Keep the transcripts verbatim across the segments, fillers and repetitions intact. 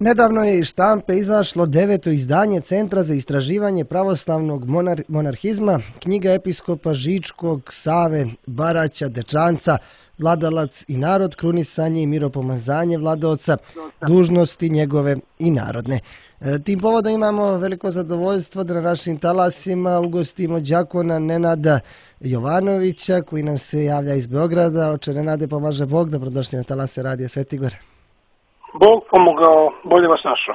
Nedavno je iz štampe izašlo deveto izdanje Centra za istraživanje pravoslavnog monar monarhizma, knjiga episkopa Žičkog, Save, Baraća, Dečanca, Vladalac i narod, krunisanje i miropomazanje vladaoca, dužnosti njegove i narodne. E, tim povodom imamo veliko zadovoljstvo da na našim talasima ugostimo đakona Nenada Jovanovića, koji nam se javlja iz Beograda. Oče Nenade, pomaže Bog, dobrodošli na talase Radija Svetigor. Bog pomogao, bolje vas našao.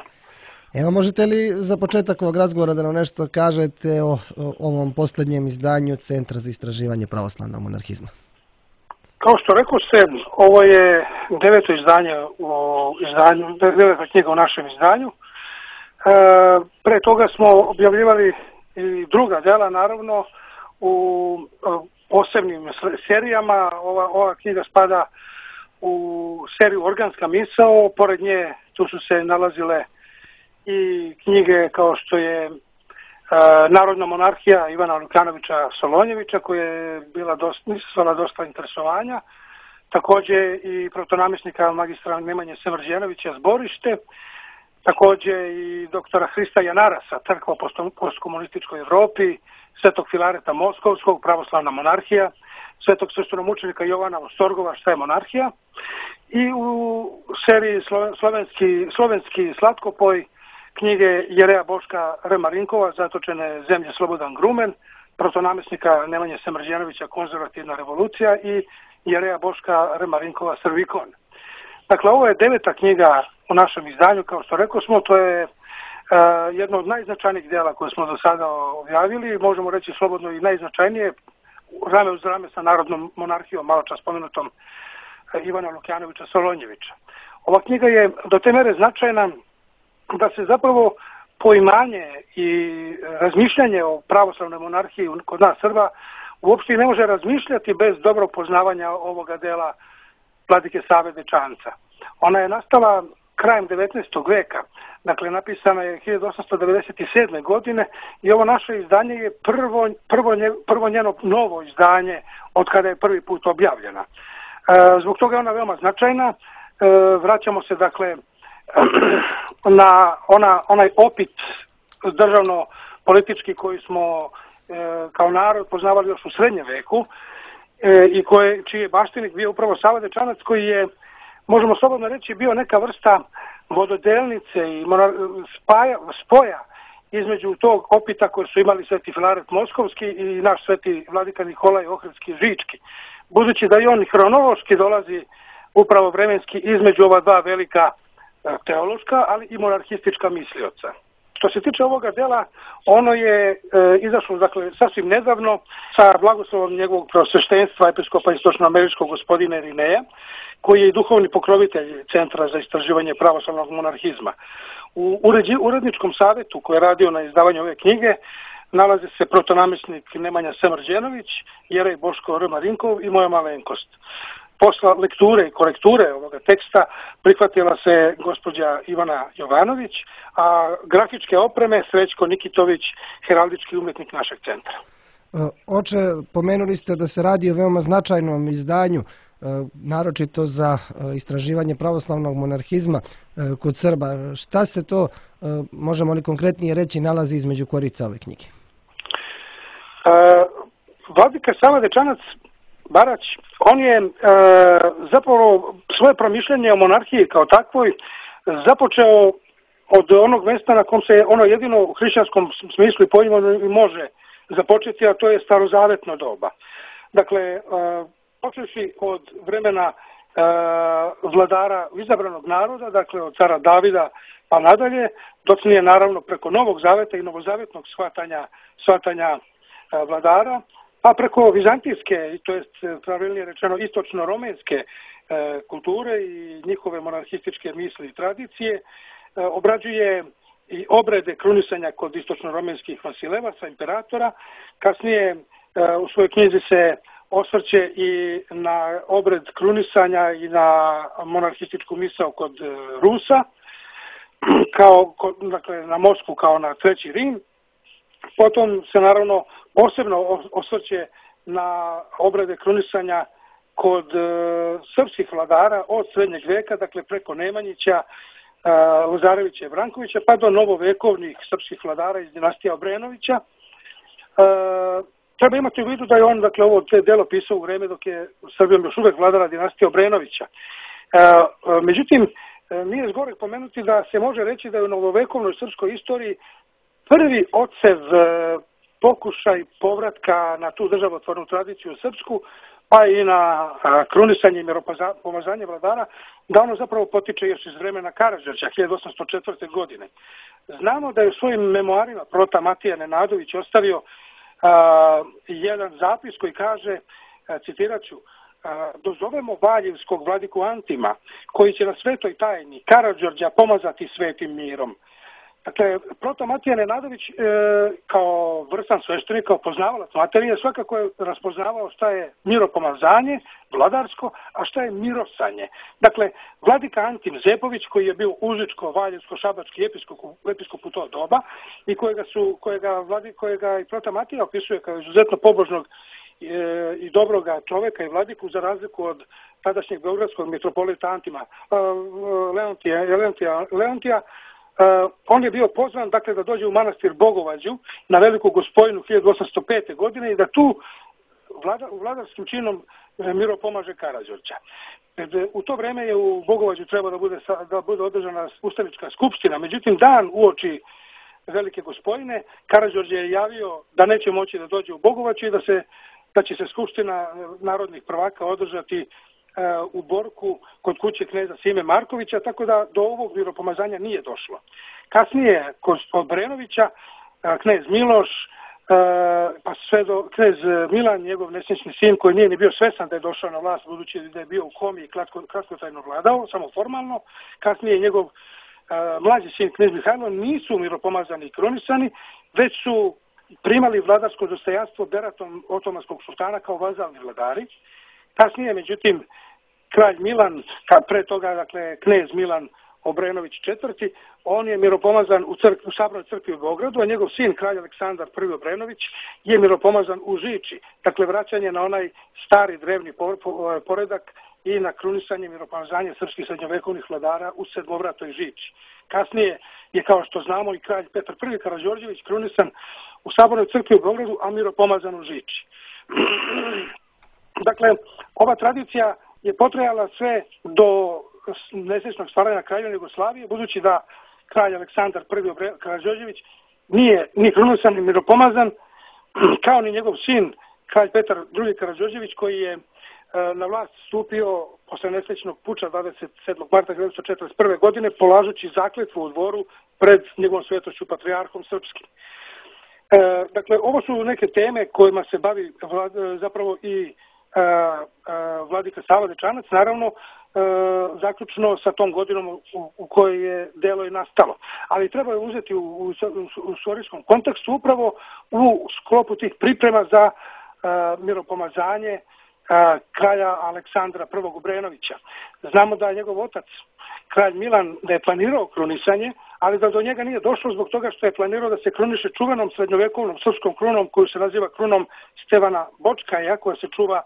Evo, možete li za početak ovog razgovora da nam nešto kažete o, o ovom posljednjem izdanju Centra za istraživanje pravoslavnog monarhizma? Kao što rekao ste, ovo je deveto izdanje u izdanju, deveta knjiga u našem izdanju. E, pre toga smo objavljivali i druga dela, naravno, u posebnim serijama. Ova, ova knjiga spada u seriju Organska misao, pored nje tu su se nalazile i knjige kao što je e, Narodna monarhija Ivana Lukanovića Solonjevića, koja je bila dosta, izazvala dosta interesovanja, takođe i protonamjesnika magistra Nemanje Semrđenovića Zborište, takođe i doktora Hrista Janarasa, Crkva u postkomunističkoj Evropi, Svetog Filareta Moskovskog, Pravoslavna monarhija, Svetog sestromučenika Jovana Ostorgova, Šta je monarhija, i u seriji slovenski, slovenski slatkopoj knjige Jereja Boška Remarinkova, Zatočene zemlje Slobodan Grumen, protonamjesnika Nemanje Semrđenovića Konzervativna revolucija i Jereja Boška Remarinkova Srvikon. Dakle, ovo je deveta knjiga u našem izdanju, kao što rekao smo, to je uh, jedno od najznačajnijih dela koje smo do sada objavili, možemo reći slobodno i najznačajnije, rame uz rame sa Narodnom monarhijom, malo čas spomenutom Ivana Lukanovića Solonjevića. Ova knjiga je do te mere značajna da se zapravo poimanje i razmišljanje o pravoslavnoj monarhiji kod nas Srba uopšte ne može razmišljati bez dobrog poznavanja ovoga dela Vladike Save Dečanca. Ona je nastala krajem devetnaestog veka, dakle napisana je hiljadu osamsto devedeset sedme. godine i ovo naše izdanje je prvo, prvo, nje, prvo njeno novo izdanje od kada je prvi put objavljena. E, zbog toga je ona veoma značajna. E, vraćamo se dakle na ona, onaj opit državno-politički koji smo e, kao narod poznavali još u srednjem veku e, i koje, čiji je baštinik bio upravo Sava Dečanac, koji je, možemo slobodno reći, bio neka vrsta vododelnice i spaja, spoja između tog opita koji su imali Sveti Filaret Moskovski i naš Sveti Vladika Nikolaj Ohridski Žički. Budući da i on hronološki dolazi upravo vremenski između ova dva velika teološka, ali i monarhistička mislioca. Što se tiče ovoga dela, ono je e, izašlo dakle, sasvim nedavno sa blagoslovom njegovog preosveštenstva episkopa istočnoameričkog gospodina Irineja, koji je i duhovni pokrovitelj Centra za istraživanje pravoslavnog monarhizma. U uređi, uredničkom savjetu koji je radio na izdavanju ove knjige nalazi se protonamjesnik Nemanja Semrđenović, Jerej Boško Remarinkov i moja malenkost. Posla lekture i korekture ovoga teksta prihvatila se gospođa Ivana Jovanović, a grafičke opreme Srećko Nikitović, heraldički umjetnik našeg centra. Oče, pomenuli ste da se radi o veoma značajnom izdanju, naročito za istraživanje pravoslavnog monarhizma kod Srba. Šta se to, možemo li konkretnije reći, nalazi između korica ove knjige? Vladika Sava Dečanac Barać, on je e, zapravo svoje promišljanje o monarhiji kao takvoj započeo od onog mjesta na kom se ono jedino u hrišćanskom smislu i pojmu može započeti, a to je starozavetno doba. Dakle, e, počeši od vremena e, vladara izabranog naroda, dakle od cara Davida pa nadalje, docnije naravno preko Novog Zaveta i novozavetnog shvatanja, shvatanja e, vladara, pa preko vizantijske, to jest pravilnije rečeno istočno-romenske e, kulture i njihove monarhističke misli i tradicije, e, obrađuje i obrede krunisanja kod istočno-romenskih vasilevaca, imperatora. Kasnije e, u svojoj knjizi se osvrće i na obred krunisanja i na monarhističku misao kod e, Rusa, kao, kod, dakle, na Moskvu kao na Treći Rim. Potom se naravno posebno osvrće na obrade krunisanja kod e, srpskih vladara od srednjeg veka, dakle preko Nemanjića, Lazarevića i Brankovića, pa do novovekovnih srpskih vladara iz dinastije Obrenovića. Treba imati u vidu da je on, dakle, ovo delo pisao u vreme dok je Srbijom još uvek vladara dinastija Obrenovića. Međutim, nije zgoreg pomenuti da se može reći da je u novovekovnoj srpskoj istoriji prvi odsev pokušaj povratka na tu državotvornu tradiciju srpsku, pa i na krunisanje i miropomazanje vladara, da ono zapravo potiče još iz vremena Karađorđa, hiljadu osamsto četvrte. godine. Znamo da je u svojim memoarima prota Matija Nenadović ostavio a, jedan zapis koji kaže, a, citirat ću, a, dozovemo Valjevskog vladiku Antima, koji će na svetoj tajni Karađorđa pomazati svetim mirom. Dakle, proto Matija Nenadović e, kao vrstan sveštenik, kao poznavalac materije, svakako je raspoznavao šta je miropomazanje, vladarsko, a šta je mirosanje. Dakle, vladika Antim Zepović, koji je bio užičko, valjevsko, šabački episkop, episkop u to doba i kojega, su, kojega, vladi, kojega i proto Matija opisuje kao izuzetno pobožnog e, i dobroga čoveka i vladiku, za razliku od tadašnjeg beogradskog mitropolita Antima e, Leontija, Leontija, Leontija Uh, on je bio pozvan, dakle, da dođe u manastir Bogovađu na Veliku Gospojinu hiljadu osamsto pete. godine i da tu vlada, vladarskim činom miropomaže Karađorđa. U to vreme je u Bogovađu trebao da bude, da bude održana ustanička skupština, međutim dan uoči Velike Gospojine Karađorđe je javio da neće moći da dođe u Bogovaću i da, se, da će se skupština narodnih prvaka održati u Borku kod kuće kneza Sime Markovića, tako da do ovog miropomazanja nije došlo. Kasnije kod Obrenovića knez Miloš, pa sve do knez Milan, njegov nesrećni sin, koji nije ni bio svestan da je došao na vlast, budući da je bio u komi i kratkotrajno vladao, samo formalno. Kasnije njegov mlađi sin knez Mihajlo nisu miropomazani i krunisani, već su primali vladarsko dostojanstvo beratom otomanskog sultana kao vazalni vladari. Kasnije, međutim, kralj Milan, pre toga, dakle, knez Milan Obrenović četvrti, on je miropomazan u, crk, u Sabornoj crkvi u Beogradu, a njegov sin, kralj Aleksandar prvi Obrenović, je miropomazan u Žiči. Dakle, vraćanje na onaj stari drevni poredak i na krunisanje miropomazanje srpskih srednjovekovnih vladara u Sedmovratoj Žiči. Kasnije je, kao što znamo, i kralj Petar prvi Karađorđević krunisan u Sabornoj crkvi u Beogradu, a miropomazan u Žiči. Dakle, ova tradicija je potrajala sve do nesrećnog stvaranja Kraljevine Jugoslavije, budući da kralj Aleksandar prvi Karađorđević nije ni krunosan ni miropomazan, kao ni njegov sin, kralj Petar drugi Karađorđević, koji je na vlast stupio posle nesrećnog puča dvadeset sedmog marta hiljadu devetsto četrdeset prve. godine, polažući zakletvu u dvoru pred njegovom svetošću patrijarhom srpskim. E, dakle, ovo su neke teme kojima se bavi vlad, zapravo i a, a, vladika Sava Dečanac, naravno, a, zaključno sa tom godinom u, u kojoj je delo i nastalo. Ali treba je uzeti u, u, u istorijskom kontekstu upravo u sklopu tih priprema za a, miropomazanje a, kralja Aleksandra prvog Obrenovića. Znamo da je njegov otac, kralj Milan, da je planirao krunisanje, ali da do njega nije došlo zbog toga što je planirao da se kruniše čuvenom srednjovekovnom srpskom krunom koju se naziva krunom Stevana Bočkaja, koja se čuva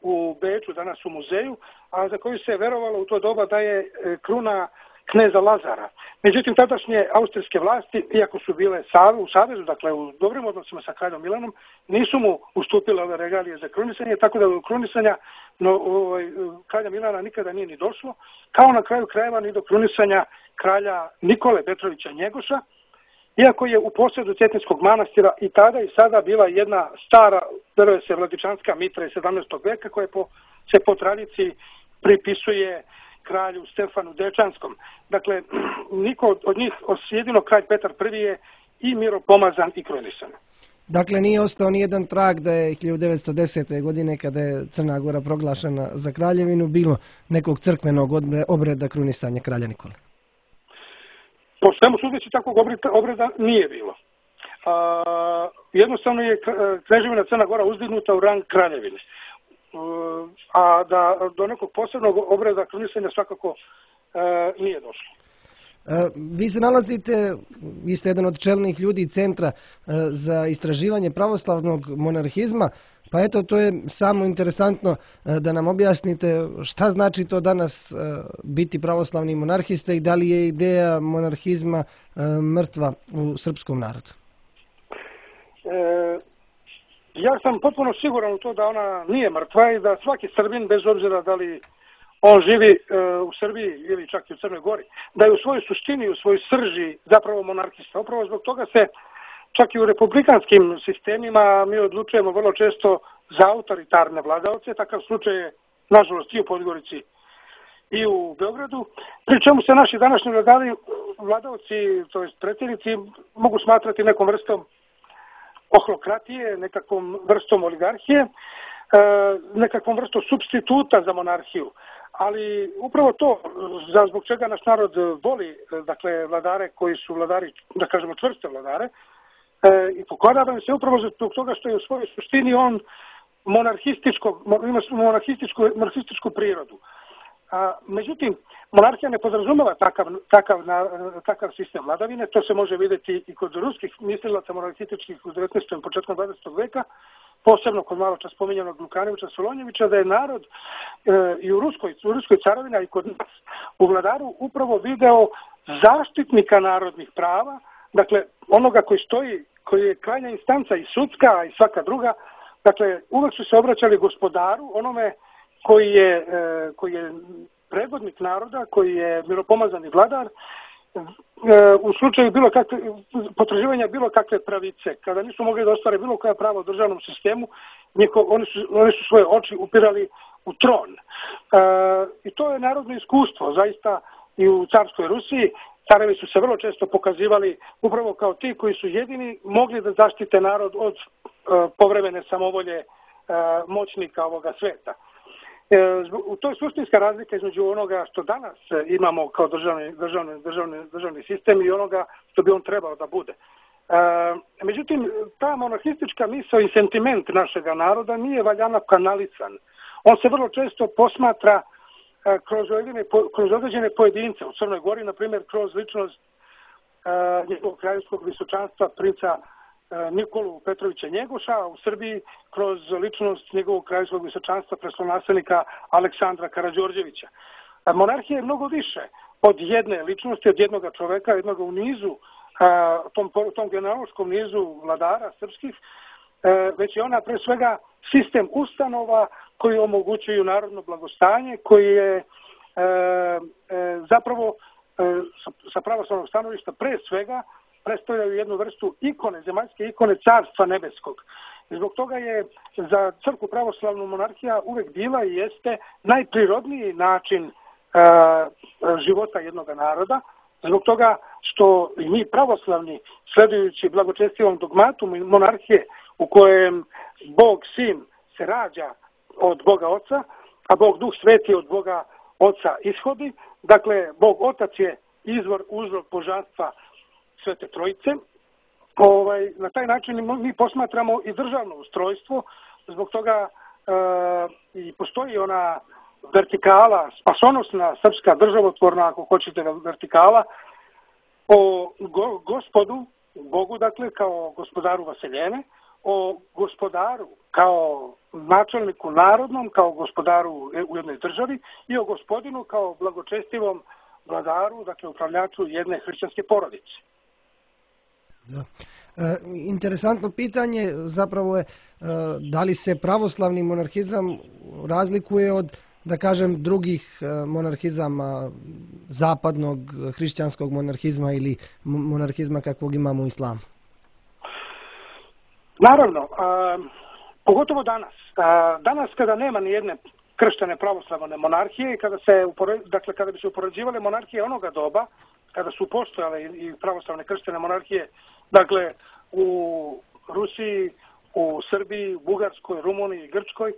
u Beču, danas u muzeju, a za koju se verovalo u to doba da je kruna kneza Lazara. Međutim, tadašnje austrijske vlasti, iako su bile u savezu, dakle u dobrim odnosima sa kraljom Milanom, nisu mu ustupile ove regalije za krunisanje, tako da do krunisanja no, ovaj, kralja Milana nikada nije ni došlo, kao na kraju krajeva ni do krunisanja kralja Nikole Petrovića Njegoša, iako je u posjedu Cetinskog manastira i tada i sada bila jedna stara, veruje se, vladičanska mitra iz sedamnaestog veka, koja po, se po tradiciji pripisuje kralju Stefanu Dečanskom. Dakle, niko od njih, jedino kralj Petar prvi je i miropomazan i krunisan. Dakle, nije ostao nijedan trag da je hiljadu devetsto desete. godine, kada je Crna Gora proglašena za kraljevinu, bilo nekog crkvenog obreda krunisanja kralja Nikole? Po svemu sudeći, takvog obreda nije bilo. A, jednostavno je Kneževina Crna Gora uzdignuta u rang kraljevine. A da do nekog posebnog obreda krunisanja svakako e, nije došlo. E, vi se nalazite, vi ste jedan od čelnih ljudi Centra e, za istraživanje pravoslavnog monarhizma, Pa eto, to je samo interesantno da nam objasnite šta znači to danas biti pravoslavni monarhista i da li je ideja monarhizma mrtva u srpskom narodu? E, ja sam potpuno siguran u to da ona nije mrtva i da svaki Srbin, bez obzira da li on živi e, u Srbiji ili čak i u Crnoj Gori, da je u svojoj suštini, u svojoj srži zapravo monarhista. Upravo zbog toga se čak i u republikanskim sistemima mi odlučujemo vrlo često za autoritarne vladaoce. Takav slučaj je, nažalost, i u Podgorici i u Beogradu. Pri čemu se naši današnji vladari, vladaoci, to jest predsjednici, mogu smatrati nekom vrstom ohlokratije, nekakvom vrstom oligarhije, nekakvom vrstom supstituta za monarhiju. Ali upravo to, za zbog čega naš narod voli, dakle, vladare koji su vladari, da kažemo, čvrste vladare, i pokorava se upravo zbog toga što je u svojoj suštini on monarhističko, ima monarhističku, monarhističku prirodu. A, međutim, monarhija ne podrazumeva takav, takav, na, takav sistem vladavine. To se može vidjeti i kod ruskih mislilaca monarhističkih u devetnaestom. početkom dvadesetog veka, posebno kod malo čas spominjanog Lukanovića Solonjevića, da je narod e, i u Ruskoj, u Ruskoj carovini, a i kod nas u vladaru upravo video zaštitnika narodnih prava, dakle onoga koji stoji, koji je krajnja instanca i sudska i svaka druga, dakle uvek su se obraćali gospodaru, onome koji je, e, koji je predvodnik naroda, koji je miropomazani vladar, e, u slučaju bilo kakve, potraživanja bilo kakve pravice, kada nisu mogli da ostvare bilo koja prava u državnom sistemu, njeko, oni, su, oni su svoje oči upirali u tron. E, I to je narodno iskustvo, zaista i u carskoj Rusiji. Carevi su se vrlo često pokazivali upravo kao ti koji su jedini mogli da zaštite narod od e, povremene samovolje e, moćnika ovoga sveta. E, u to je suštinska razlika između onoga što danas imamo kao državni, državni, državni, državni sistem i onoga što bi on trebao da bude. E, međutim, ta monarhistička misao i sentiment našega naroda nije valjano kanalisan. On se vrlo često posmatra kroz određene, kroz određene pojedince. U Crnoj Gori, na primjer, kroz ličnost uh, njegovog kraljevskog visočanstva princa uh, Nikolu Petrovića Njegoša, u Srbiji kroz ličnost njegovog kraljevskog visočanstva prestolonaslednika Aleksandra Karađorđevića. Uh, monarhija je mnogo više od jedne ličnosti, od jednog čoveka, jednog u nizu, uh, tom, tom genealoškom nizu vladara srpskih, uh, već je ona pre svega sistem ustanova koji omogućuju narodno blagostanje, koji je e, e, zapravo e, sa, sa pravoslavnog stanovišta pre svega predstavljaju jednu vrstu ikone, zemaljske ikone carstva nebeskog. I zbog toga je za crkvu pravoslavnu monarhija uvek bila i jeste najprirodniji način e, života jednog naroda, zbog toga što i mi pravoslavni, sledujući blagočestivom dogmatu monarhije u kojem Bog Sin se rađa od Boga Oca, a Bog Duh Sveti od Boga Oca ishodi. Dakle, Bog Otac je izvor, uzrok božanstva Svete Trojice. Ovaj, na taj način mi posmatramo i državno ustrojstvo, zbog toga e, i postoji ona vertikala, spasonosna srpska državotvorna, ako hoćete, vertikala, o go, gospodu, Bogu, dakle, kao gospodaru Vaseljene, o gospodaru kao načelniku narodnom, kao gospodaru u jednoj državi i o gospodinu kao blagočestivom vladaru, dakle upravljaču jedne hrišćanske porodice. Da. E, interesantno pitanje zapravo je e, da li se pravoslavni monarhizam razlikuje od, da kažem, drugih e, monarhizama, zapadnog hrišćanskog monarhizma ili monarhizma kakvog imamo u islamu? Naravno, a, pogotovo danas. A, danas kada nema ni jedne krštene pravoslavne monarhije i kada se upore, dakle kada bi se upoređivale monarhije onoga doba, kada su postojale i pravoslavne krštene monarhije, dakle u Rusiji, u Srbiji, Bugarskoj, Rumuniji, Grčkoj,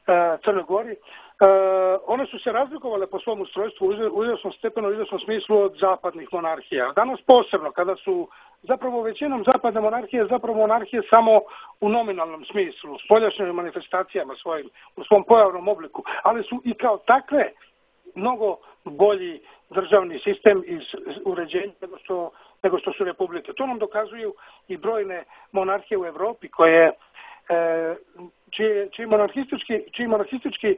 a, Crnoj Gori, a, one su se razlikovale po svom ustrojstvu u izvesnom stepenu, u izvesnom smislu od zapadnih monarhija. Danas posebno, kada su zapravo većinom zapadne monarhije zapravo monarhije samo u nominalnom smislu, s spoljašnjim manifestacijama svojim, u svom pojavnom obliku, ali su i kao takve mnogo bolji državni sistem iz uređenja nego što, nego što su republike. To nam dokazuju i brojne monarhije u Evropi koje čiji, čiji monarhistički, čiji monarhistički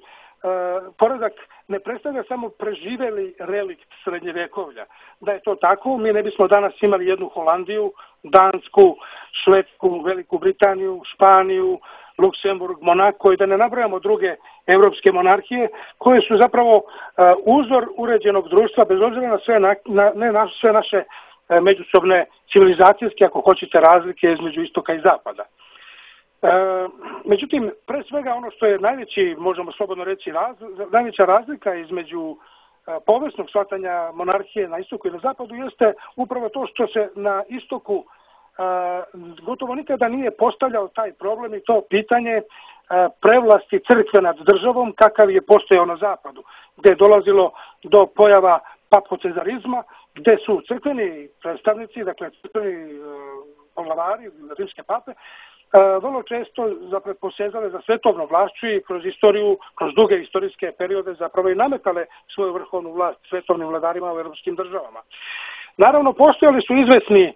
poredak ne predstavlja samo preživeli relikt srednjevjekovlja. Da je to tako, mi ne bismo danas imali jednu Holandiju, Dansku, Švedsku, Veliku Britaniju, Španiju, Luksemburg, Monako i da ne nabrajamo druge evropske monarhije koje su zapravo uzor uređenog društva bez obzira na sve, na, na, ne na sve naše međusobne civilizacijske, ako hoćete, razlike između istoka i zapada. E, međutim, pre svega ono što je najveći, možemo slobodno reći, raz, najveća razlika između e, povijesnog shvatanja monarhije na istoku i na zapadu jeste upravo to što se na istoku e, gotovo nikada nije postavljao taj problem i to pitanje e, prevlasti crkve nad državom kakav je postojao na zapadu, gdje je dolazilo do pojava papocezarizma, gdje su crkveni predstavnici, dakle crkveni e, poglavari, rimske pape, vrlo često zapravo posezale za svetovnom vlašću i kroz istoriju, kroz duge istorijske periode zapravo i nametale svoju vrhovnu vlast svetovnim vladarima u europskim državama. Naravno, postojali su izvesni,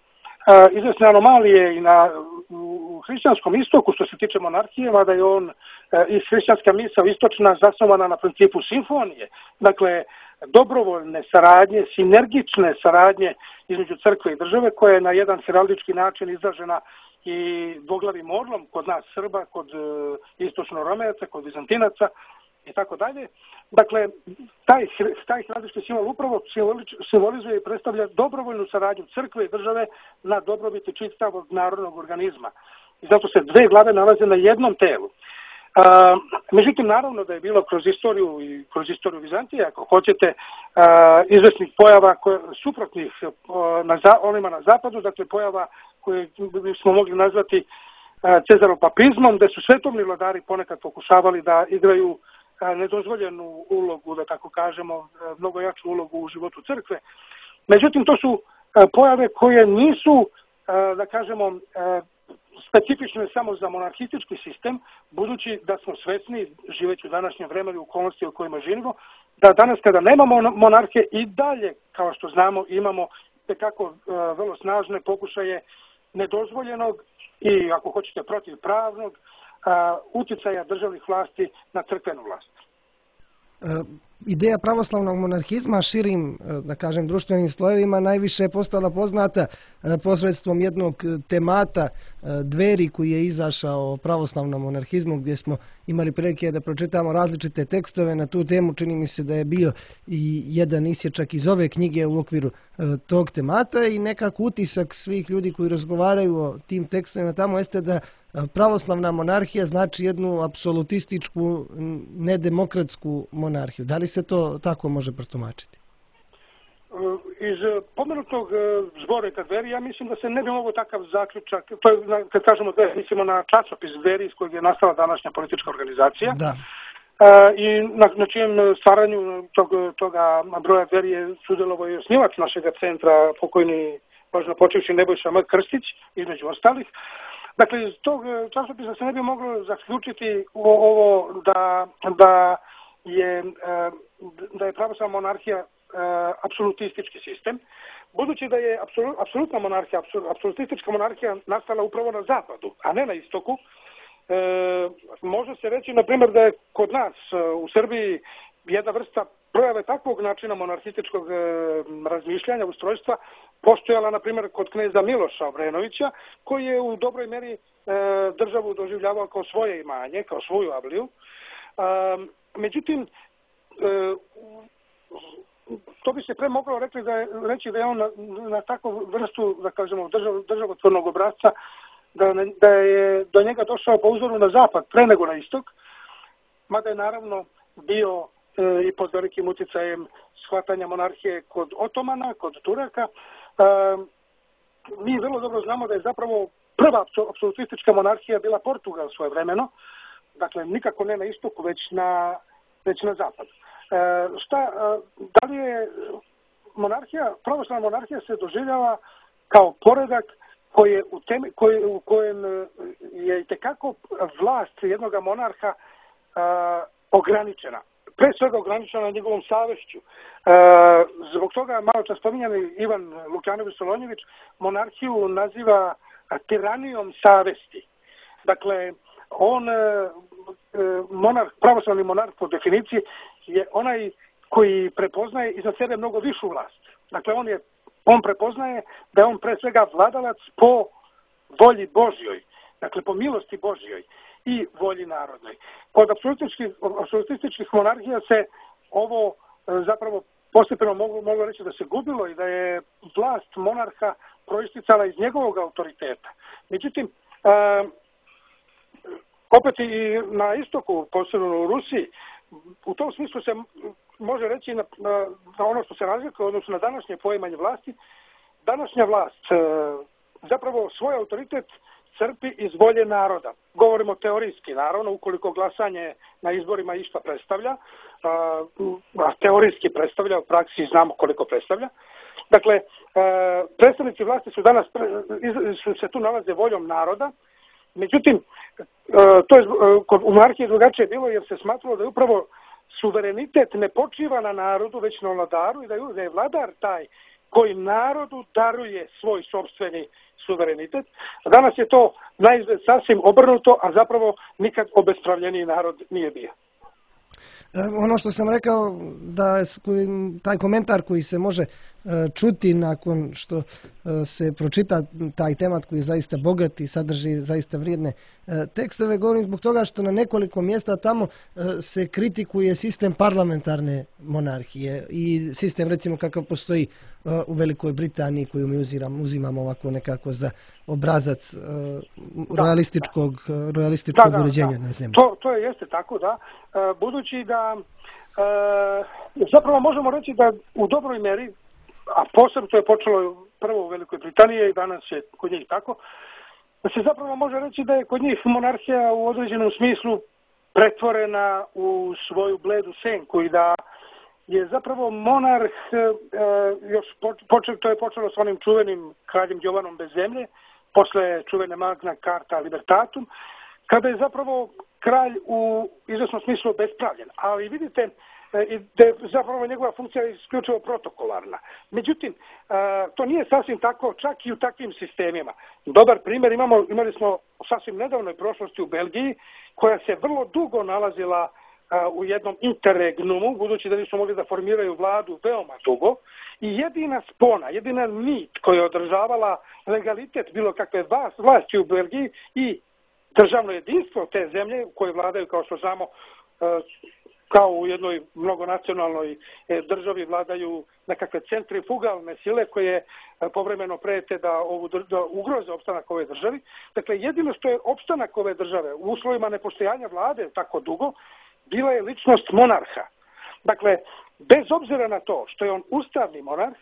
izvesne anomalije i na, u hrišćanskom istoku što se tiče monarhije, mada je on i hrišćanska misao istočna zasnovana na principu simfonije. Dakle, dobrovoljne saradnje, sinergične saradnje između crkve i države koja je na jedan heraldički način izražena i dvoglavim orlom kod nas Srba, kod e, istočno-romejaca, kod Vizantinaca i tako dalje. Dakle, taj, taj heraldički simbol upravo simbolizuje i predstavlja dobrovoljnu saradnju crkve i države na dobrobiti čitavog narodnog organizma. I zato se dve glave nalaze na jednom telu. A, međutim, naravno da je bilo kroz istoriju i kroz istoriju Vizantije, ako hoćete, a, izvesnih pojava koje, suprotnih a, na, onima na zapadu, dakle pojava koje smo mogli nazvati a, cezaropapizmom, gde su svetovni vladari ponekad pokušavali da igraju a, nedozvoljenu ulogu, da tako kažemo, a, mnogo jaču ulogu u životu crkve. Međutim, to su a, pojave koje nisu, a, da kažemo, a, specifično samo za monarhistički sistem, budući da smo svesni, živeći u današnjem vremenu i okolnosti u kojima živimo, da danas kada nemamo monarhije i dalje, kao što znamo, imamo tekako uh, vrlo snažne pokušaje nedozvoljenog i, ako hoćete, protivpravnog uh, uticaja državnih vlasti na crkvenu vlast. Ideja pravoslavnog monarhizma širim, da kažem, društvenim slojevima najviše je postala poznata posredstvom jednog temata Dveri koji je izašao o pravoslavnom monarhizmu, gdje smo imali prilike da pročitamo različite tekstove na tu temu. Čini mi se da je bio i jedan isječak iz ove knjige u okviru tog temata i nekako utisak svih ljudi koji razgovaraju o tim tekstovima tamo jeste da pravoslavna monarhija znači jednu apsolutističku, nedemokratsku monarhiju. Da li se to tako može protumačiti? Iz pomenutog zbornika Dveri, ja mislim da se ne bi mogao takav zaključak, to je, kad kažemo Dveri, mislimo na časopis Dveri iz kojeg je nastala današnja politička organizacija. Da. I na, na čijem stvaranju tog, toga broja Dveri je sudjelovao i osnivač našeg centra, pokojni, možda počevši Nebojša M. Krstić, između ostalih. Dakle, iz tog časopisa se ne bi moglo zaključiti ovo da, da je, da je pravoslavna monarhija apsolutistički sistem, budući da je apsolutna monarhija, apsolutistička monarhija nastala upravo na zapadu, a ne na istoku. E, može se reći, na primjer, da je kod nas u Srbiji jedna vrsta projave takvog načina monarhističkog e, razmišljanja, ustrojstva, postojala, na primjer, kod kneza Miloša Obrenovića, koji je u dobroj meri e, državu doživljavao kao svoje imanje, kao svoju avliju. E, međutim, e, to bi se pre moglo reći da je, reći da je on na, na takvu vrstu, da kažemo, držav, državotvornog obrazca, da, da je do njega došao po uzoru na zapad, pre nego na istok, mada je naravno bio e, i pod velikim utjecajem shvatanja monarhije kod Otomana, kod Turaka. E, mi vrlo dobro znamo da je zapravo prva apsolutistička monarhija bila Portugal svojevremeno, dakle nikako ne na istoku, već na, već na zapadu. E, šta, e, da li je monarhija, pravoslavna monarhija se doživljava kao poredak koji je u, temi, koji, u kojem je itekako vlast jednog monarha e, ograničena. Pre svega ograničena njegovom savješću. E, zbog toga malo čas spominjani Ivan Lukjanović Solonjević monarhiju naziva tiranijom savesti. Dakle, On, monarh, pravoslavni monarh po definiciji je onaj koji prepoznaje iza sebe mnogo višu vlast. Dakle, on, je, on prepoznaje da je on pre svega vladalac po volji Božjoj, dakle po milosti Božjoj i volji narodnoj. Kod apsolutističkih, apsolutističkih monarhija se ovo zapravo postepeno mogu, mogu reći da se gubilo i da je vlast monarha proisticala iz njegovog autoriteta. Međutim, e, opet i na istoku, posebno u Rusiji, u tom smislu se može reći na, na, na ono što se razlikuje, odnosno na današnje poimanje vlasti. Današnja vlast e, zapravo svoj autoritet crpi iz volje naroda. Govorimo teorijski, naravno, ukoliko glasanje na izborima išta predstavlja, a, a teorijski predstavlja, u praksi znamo koliko predstavlja. Dakle, a, predstavnici vlasti su danas, su se tu nalaze voljom naroda, međutim, a, to je kod u monarhiji drugačije bilo jer se smatralo da je upravo suverenitet ne počiva na narodu, već na vladaru i da je, da je vladar taj koji narodu daruje svoj sopstveni suverenitet. Danas je to naizgled sasvim obrnuto, a zapravo nikad obespravljeniji narod nije bio. Ono što sam rekao, da taj komentar koji se može čuti nakon što se pročita taj temat koji je zaista bogat i sadrži zaista vrijedne tekstove, govorim zbog toga što na nekoliko mjesta tamo se kritikuje sistem parlamentarne monarhije i sistem recimo kakav postoji u Velikoj Britaniji koju mi uzimamo, uzimamo ovako nekako za obrazac da, realističkog, da. realističkog da, da, uređenja da. na zemlji. To, to je jeste tako, da. Budući da e, zapravo možemo reći da u dobroj meri, a posebno to je počelo prvo u Velikoj Britaniji i danas je kod njih tako, da se zapravo može reći da je kod njih monarhija u određenom smislu pretvorena u svoju bledu senku i da je zapravo monarh, e, još počeo, to je počelo s onim čuvenim kraljem Jovanom bez zemlje, posle čuvene Magna Carta Libertatum, kada je zapravo kralj u izvesnom smislu bespravljen. Ali vidite, da je zapravo njegova funkcija isključivo protokolarna. Međutim, to nije sasvim tako, čak i u takvim sistemima. Dobar primjer imamo, imali smo u sasvim nedavnoj prošlosti u Belgiji, koja se vrlo dugo nalazila u jednom interregnumu, budući da nisu mogli da formiraju vladu veoma dugo, i jedina spona, jedina nit koja je održavala legalitet bilo kakve vlasti u Belgiji i državno jedinstvo te zemlje u kojoj vladaju, kao što znamo, kao u jednoj mnogonacionalnoj državi vladaju nekakve centrifugalne sile koje povremeno prete da, ovu, da ugroze opstanak ove državi. Dakle, jedino što je opstanak ove države u uslovima nepostojanja vlade tako dugo, bila je ličnost monarha. Dakle, bez obzira na to što je on ustavni monarh,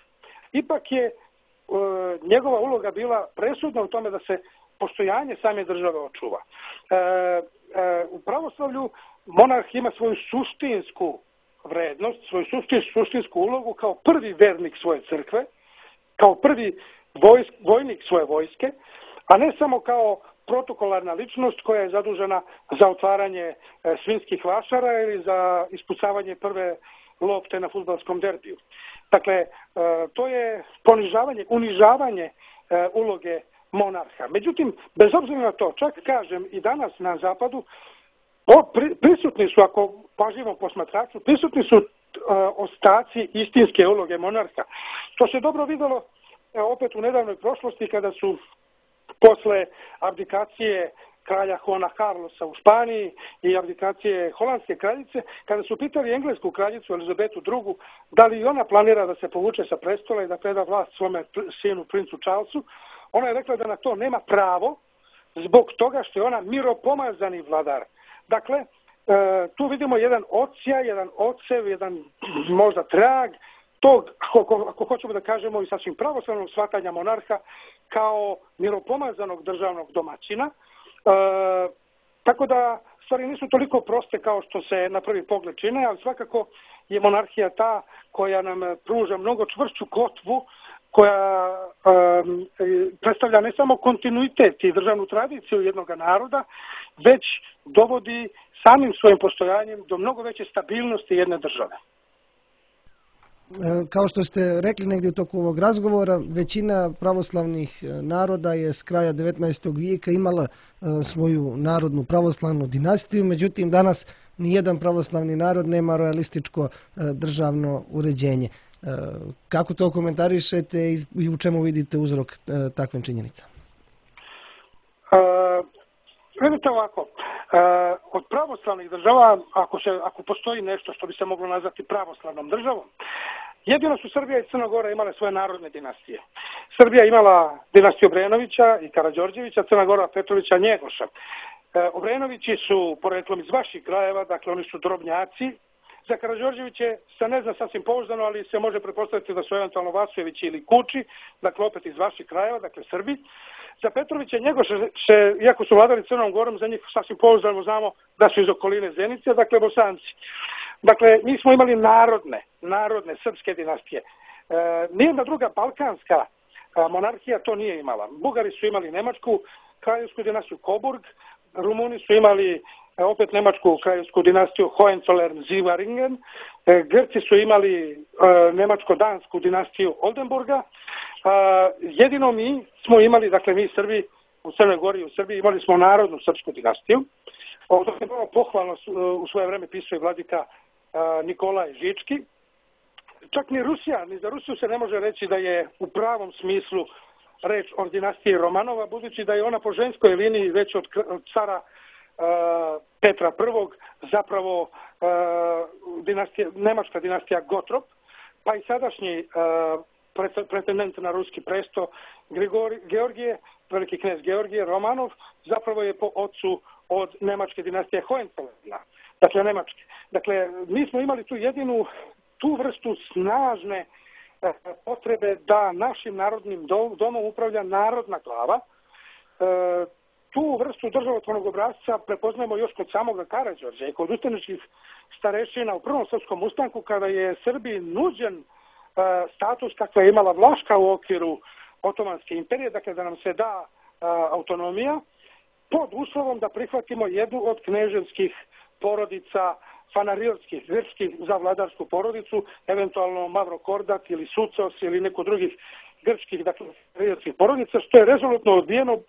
ipak je e, njegova uloga bila presudna u tome da se postojanje same države očuva. E, e, u pravoslavlju monarh ima svoju suštinsku vrednost, svoju suštinsku ulogu kao prvi vernik svoje crkve, kao prvi vojsk, vojnik svoje vojske, a ne samo kao protokolarna ličnost koja je zadužena za otvaranje e, svinjskih vašara ili za ispucavanje prve lopte na fudbalskom derbiju. Dakle, e, to je ponižavanje, unižavanje e, uloge monarha. Međutim, bez obzira na to, čak kažem i danas na zapadu, o, pri, prisutni su, ako pažljivo posmatraču, prisutni su e, ostaci istinske uloge monarha. To se dobro vidjelo e, opet u nedavnoj prošlosti kada su posle abdikacije kralja Juana Carlosa u Španiji i abdikacije holandske kraljice, kada su pitali englesku kraljicu Elizabetu drugu da li ona planira da se povuče sa prestola i da preda vlast svome sinu princu Charlesu, ona je rekla da na to nema pravo zbog toga što je ona miropomazani vladar. Dakle, e, tu vidimo jedan odsjaj, jedan odsev, jedan možda trag tog, ako, ako hoćemo da kažemo i sasvim pravoslavnog shvatanja monarha kao miropomazanog državnog domaćina. E, tako da stvari nisu toliko proste kao što se na prvi pogled čine, ali svakako je monarhija ta koja nam pruža mnogo čvršću kotvu, koja e, predstavlja ne samo kontinuitet i državnu tradiciju jednog naroda, već dovodi samim svojim postojanjem do mnogo veće stabilnosti jedne države. Kao što ste rekli negdje u toku ovog razgovora, većina pravoslavnih naroda je s kraja devetnaestog vijeka imala svoju narodnu pravoslavnu dinastiju, međutim danas nijedan pravoslavni narod nema rojalističko državno uređenje. Kako to komentarišete i u čemu vidite uzrok takvim činjenicama? Uh, vidite ovako, uh, od pravoslavnih država, ako, se, ako postoji nešto što bi se moglo nazvati pravoslavnom državom, jedino su Srbija i Crna Gora imale svoje narodne dinastije. Srbija imala dinastiju Obrenovića i Karađorđevića, Crna Gora Petrovića Njegoša. Uh, Obrenovići su poreklom iz vaših krajeva, dakle oni su drobnjaci. Za Karađorđeviće se ne zna sasvim pouzdano, ali se može pretpostaviti da su eventualno Vasojevići ili Kuči, dakle opet iz vaših krajeva, dakle Srbi. Za Petrovića i Njegoša, se, iako su vladali Crnom Gorom, za njih sasvim pouzdano znamo da su iz okoline Zenice, dakle Bosanci. Dakle, mi smo imali narodne, narodne srpske dinastije. E, nijedna druga balkanska a, monarhija to nije imala. Bugari su imali nemačku kraljevsku dinastiju Coburg, Rumuni su imali opet nemačku kraljevsku dinastiju Hohenzollern-Zweiringen, Grci su imali nemačko-dansku dinastiju Oldenburga. Jedino mi smo imali, dakle mi Srbi u Crnoj Gori i u Srbiji imali smo narodnu srpsku dinastiju. Ovo je bilo pohvalno u svoje vreme pisao i vladika Nikolaj Žički. Čak ni Rusija, ni za Rusiju se ne može reći da je u pravom smislu reč o dinastiji Romanova, budući da je ona po ženskoj liniji već od cara Uh, Petra prvog, zapravo uh, dinastija, nemačka dinastija Gottrop, pa i sadašnji uh, pretendent na ruski presto Grigori, Georgije, veliki knez Georgije Romanov, zapravo je po ocu od nemačke dinastije Hohenzollern, dakle nemačke. Dakle, mi smo imali tu jedinu, tu vrstu snažne uh, potrebe da našim narodnim domom upravlja narodna glava. Uh, Tu vrstu državotvornog obrazca prepoznajemo još kod samoga Karađorđa i kod ustaničkih starešina u prvom srpskom ustanku, kada je Srbiji nuđen uh, status kakva je imala Vlaška u okviru Otomanske imperije, dakle da nam se da uh, autonomija, pod uslovom da prihvatimo jednu od kneževskih porodica, fanarilskih, grčkih za vladarsku porodicu, eventualno Mavrokordat ili Sucos ili neko drugih grčkih, dakle, fanarilskih porodica, što je rezolutno odbijeno,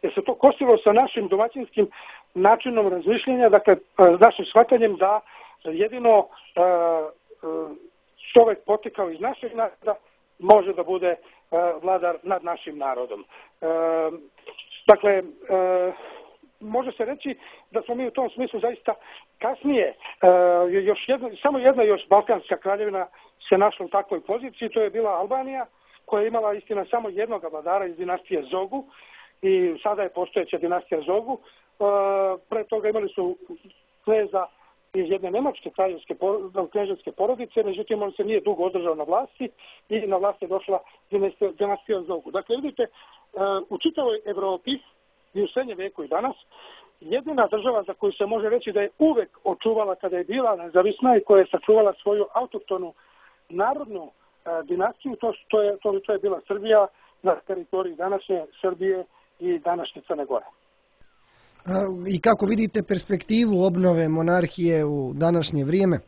jer se to kosilo sa našim domaćinskim načinom razmišljenja, dakle, našim shvatanjem da jedino uh, čovjek potekao iz našeg naroda može da bude uh, vladar nad našim narodom. Uh, dakle, uh, može se reći da smo mi u tom smislu zaista kasnije, uh, još jedna, samo jedna još balkanska kraljevina se našla u takvoj poziciji, to je bila Albanija, koja je imala istina samo jednog vladara iz dinastije Zogu, i sada je postojeća dinastija Zogu. E, pre toga imali su kneza iz jedne nemačke kraljevske kneževske porodice, međutim on se nije dugo održao na vlasti i na vlast je došla dinastija, dinastija Zogu. Dakle, vidite, e, u čitavoj Evropi i u srednjem veku i danas, jedina država za koju se može reći da je uvek očuvala kada je bila nezavisna i koja je sačuvala svoju autohtonu narodnu e, dinastiju, to, to, je, to, to je bila Srbija na teritoriji današnje Srbije i današnje Crne Gore. I kako vidite perspektivu obnove monarhije u današnje vrijeme?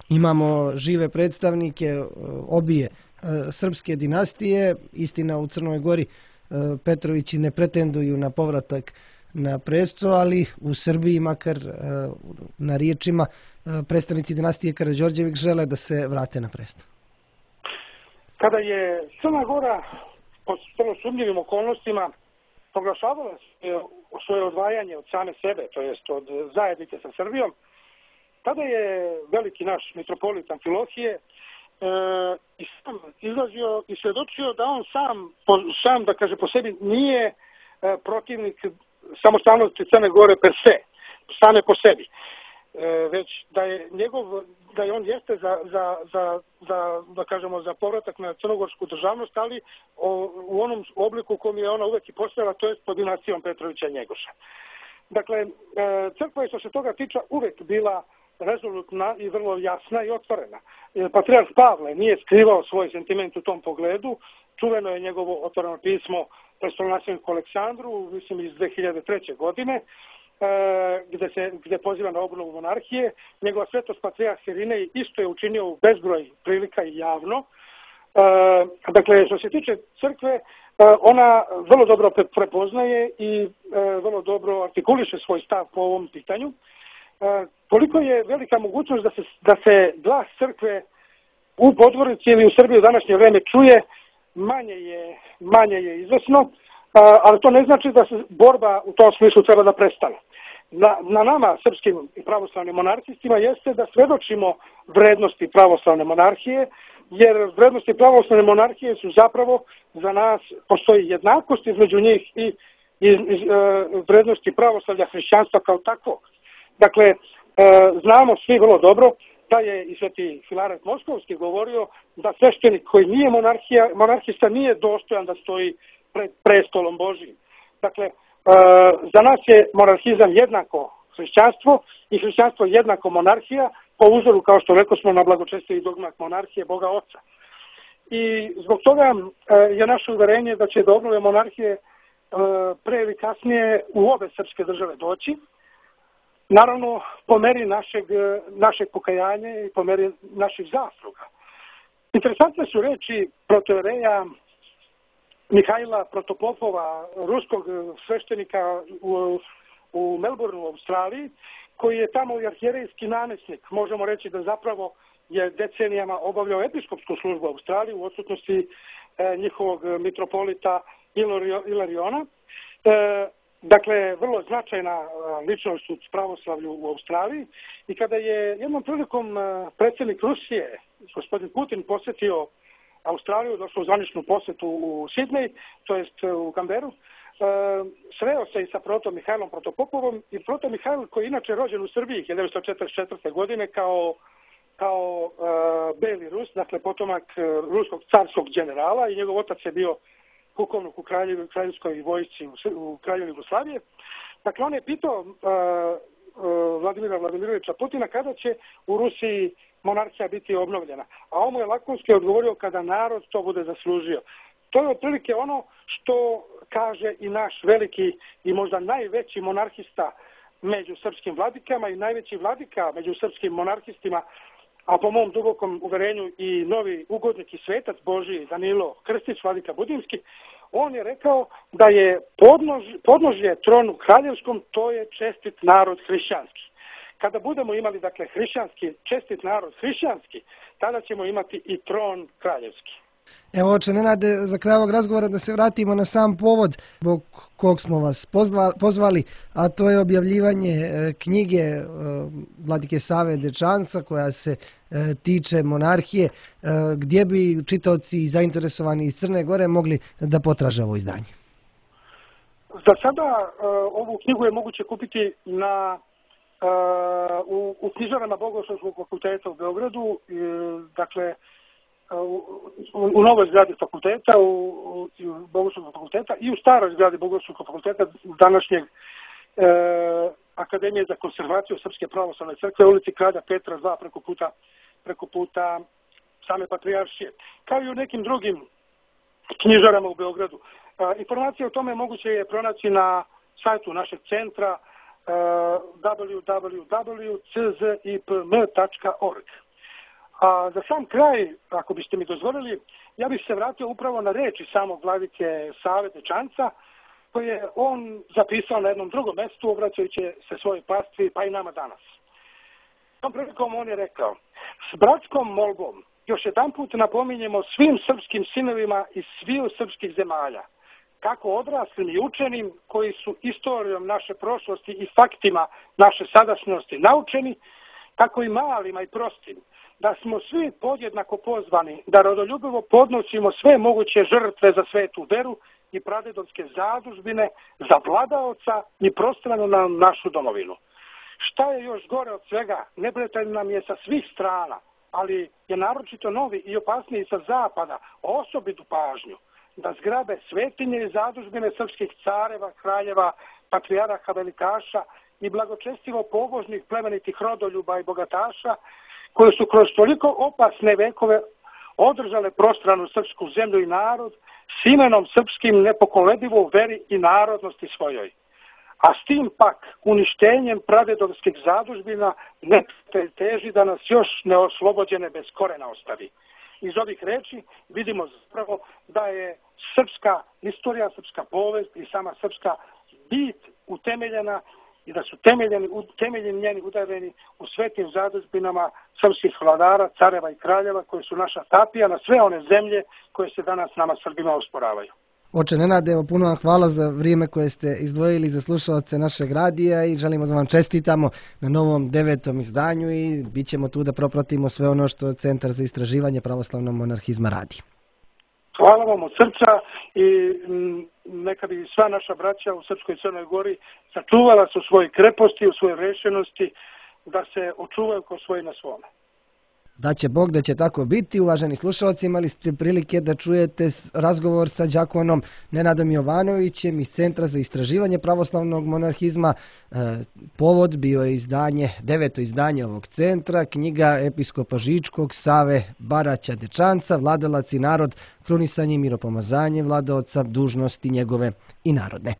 Imamo žive predstavnike obje srpske dinastije, istina u Crnoj Gori Petrovići ne pretenduju na povratak na presto, ali u Srbiji, makar na riječima, predstavnici dinastije Karađorđević žele da se vrate na presto. Kada je Crna Gora po vrlo sumnjivim okolnostima proglašavala svoje odvajanje od same sebe, to jest od zajednice sa Srbijom, tada je veliki naš mitropolit Amfilohije e, i sam izlazio i svjedočio da on sam, po, sam da kaže po sebi, nije e, protivnik samostalnosti Crne Gore per se, same po sebi. E, već da je njegov, da je on jeste za, za, za, za, da kažemo, za povratak na crnogorsku državnost, ali o, u onom obliku u kom je ona uvek i postojala, to je pod dinastijom Petrovića Njegoša. Dakle, e, crkva je što se toga tiče uvek bila rezolutna i vrlo jasna i otvorena. E, Patrijarh Pavle nije skrivao svoj sentiment u tom pogledu, čuveno je njegovo otvoreno pismo prestolonasledniku Aleksandru, mislim iz dve hiljade treće. godine, gde se gde poziva na obnovu monarhije. Njegova svetost patrijarh Irinej isto je učinio u bezbroj prilika i javno. Dakle, što se tiče crkve, ona vrlo dobro prepoznaje i vrlo dobro artikuliše svoj stav po ovom pitanju. Koliko je velika mogućnost da se, da se glas crkve u Podgorici ili u Srbiji u današnje vreme čuje, manje je, manje je izvesno, ali to ne znači da se borba u tom smislu treba da prestane. Na, na nama, srpskim i pravoslavnim monarhistima, jeste da svedočimo vrednosti pravoslavne monarhije, jer vrednosti pravoslavne monarhije su zapravo za nas, postoji jednakost između njih i, i, i vrednosti pravoslavlja hrišćanstva kao takvog. Dakle, e, znamo svi vrlo dobro da je i sveti Filaret Moskovski govorio da sveštenik koji nije monarhija, monarhista nije dostojan da stoji pred prestolom Božijim. Dakle, e, za nas je monarhizam jednako hrišćanstvo i hrišćanstvo jednako monarhija, po uzoru, kao što rekao smo, na blagočestivi dogmat monarhije Boga Oca. I zbog toga e, je naše uverenje da će do obnove monarhije e, pre ili kasnije u obe srpske države doći. Naravno, po meri našeg, našeg pokajanja i po meri naših zasluga. Interesantne su reči protojereja Mihajla Protopopova, ruskog sveštenika u, u Melbourneu u Australiji, koji je tamo i arhijerejski namjesnik. Možemo reći da zapravo je decenijama obavljao episkopsku službu u Australiji u odsutnosti e, njihovog mitropolita Ilariona. E, Dakle, vrlo značajna ličnost u pravoslavlju u Australiji i kada je jednom prilikom predsjednik Rusije, gospodin Putin, posjetio Australiju, došao u zvaničnu posjetu u Sidnej, to jest u Canberru, sreo se i sa protom Mihajlom Protopopovom i proto Mihajl, koji je inače rođen u Srbiji hiljadu devetsto četrdeset četvrte. godine kao, kao uh, beli Rus, dakle potomak uh, ruskog carskog generala i njegov otac je bio pukovnik u kraljevskoj vojsci u, u kralju Jugoslavije. Dakle, on je pitao uh, uh, Vladimira Vladimirovića Putina kada će u Rusiji monarhija biti obnovljena. A on mu je lakonski odgovorio kada narod to bude zaslužio. To je otprilike ono što kaže i naš veliki i možda najveći monarhista među srpskim vladikama i najveći vladika među srpskim monarhistima, a po mom dubokom uverenju i novi ugodnik i svetac Božiji Danilo Krstić, vladika Budimski. On je rekao da je podnož, podnožje tronu kraljevskom, to je čestit narod hrišćanski. Kada budemo imali, dakle, hrišćanski, čestit narod hrišćanski, tada ćemo imati i tron kraljevski. Evo, oče Nenade, za kraj ovog razgovora da se vratimo na sam povod zbog kog smo vas pozvali, a to je objavljivanje knjige vladike Save Dečanca koja se tiče monarhije, gdje bi čitaoci zainteresovani iz Crne Gore mogli da potraže ovo izdanje. Za sada ovu knjigu je moguće kupiti na u, u knjižarama Bogoslovskog fakulteta u Beogradu, dakle U, u novoj zgradi fakulteta, u, u Bogoslovskog fakulteta i u staroj zgradi Bogoslovskog fakulteta današnjeg e, Akademije za konservaciju Srpske pravoslavne crkve u ulici Kralja Petra dva preko puta, preko puta same patrijaršije. Kao i u nekim drugim knjižarama u Beogradu. E, informacije o tome moguće je pronaći na sajtu našeg centra e, w w w tačka c z i p m tačka org. A za sam kraj, ako biste mi dozvolili, ja bih se vratio upravo na reči samog vladike Save Dečanca, koje je on zapisao na jednom drugom mjestu, obraćajući se svojoj pastvi, pa i nama danas. Tom prilikom on je rekao: s bratskom molbom još jedan put napominjemo svim srpskim sinovima iz sviju srpskih zemalja, kako odraslim i učenim, koji su istorijom naše prošlosti i faktima naše sadašnjosti naučeni, tako i malima i prostim, da smo svi podjednako pozvani da rodoljubivo podnosimo sve moguće žrtve za svetu veru i pradedovske zadužbine, za vladaoca i prostranu na našu domovinu. Šta je još gore od svega, neprijatelj nam je sa svih strana, ali je naročito novi i opasniji sa zapada osobitu pažnju da zgrabe svetinje i zadužbine srpskih careva, kraljeva, patrijaraha, velikaša i blagočestivo pobožnih plemenitih rodoljuba i bogataša, koje su kroz toliko opasne vekove održale prostranu srpsku zemlju i narod s imenom srpskim nepokoledivo u veri i narodnosti svojoj. a s tim pak uništenjem pradedovskih zadužbina neprijatelj teži da nas još neoslobođene bez korena ostavi. Iz ovih reči vidimo zapravo da je srpska istorija, srpska povijest i sama srpska bit utemeljena i da su temeljeni, temeljeni njeni udareni u svetim zadužbinama srpskih vladara, careva i kraljeva koji su naša tapija na sve one zemlje koje se danas nama Srbima osporavaju. Oče Nenade, evo puno vam hvala za vrijeme koje ste izdvojili za slušalce našeg radija i želimo da vam čestitamo na novom devetom izdanju i bit ćemo tu da propratimo sve ono što Centar za istraživanje pravoslavnog monarhizma radi. Hvala vam od srca i neka bi sva naša braća u Srpskoj Crnoj Gori sačuvala se u svojoj kreposti, u svojoj rešenosti, da se očuvaju ko svoji na svome. Da će Bog da će tako biti. Uvaženi slušalci, imali ste prilike da čujete razgovor sa đakonom Nenadom Jovanovićem iz Centra za istraživanje pravoslavnog monarhizma. E, povod bio je izdanje, deveto izdanje ovog centra, knjiga episkopa Žičkog, Save Baraća Dečanca, Vladalac i narod, krunisanje i miropomazanje vladaoca, dužnosti njegove i narodne.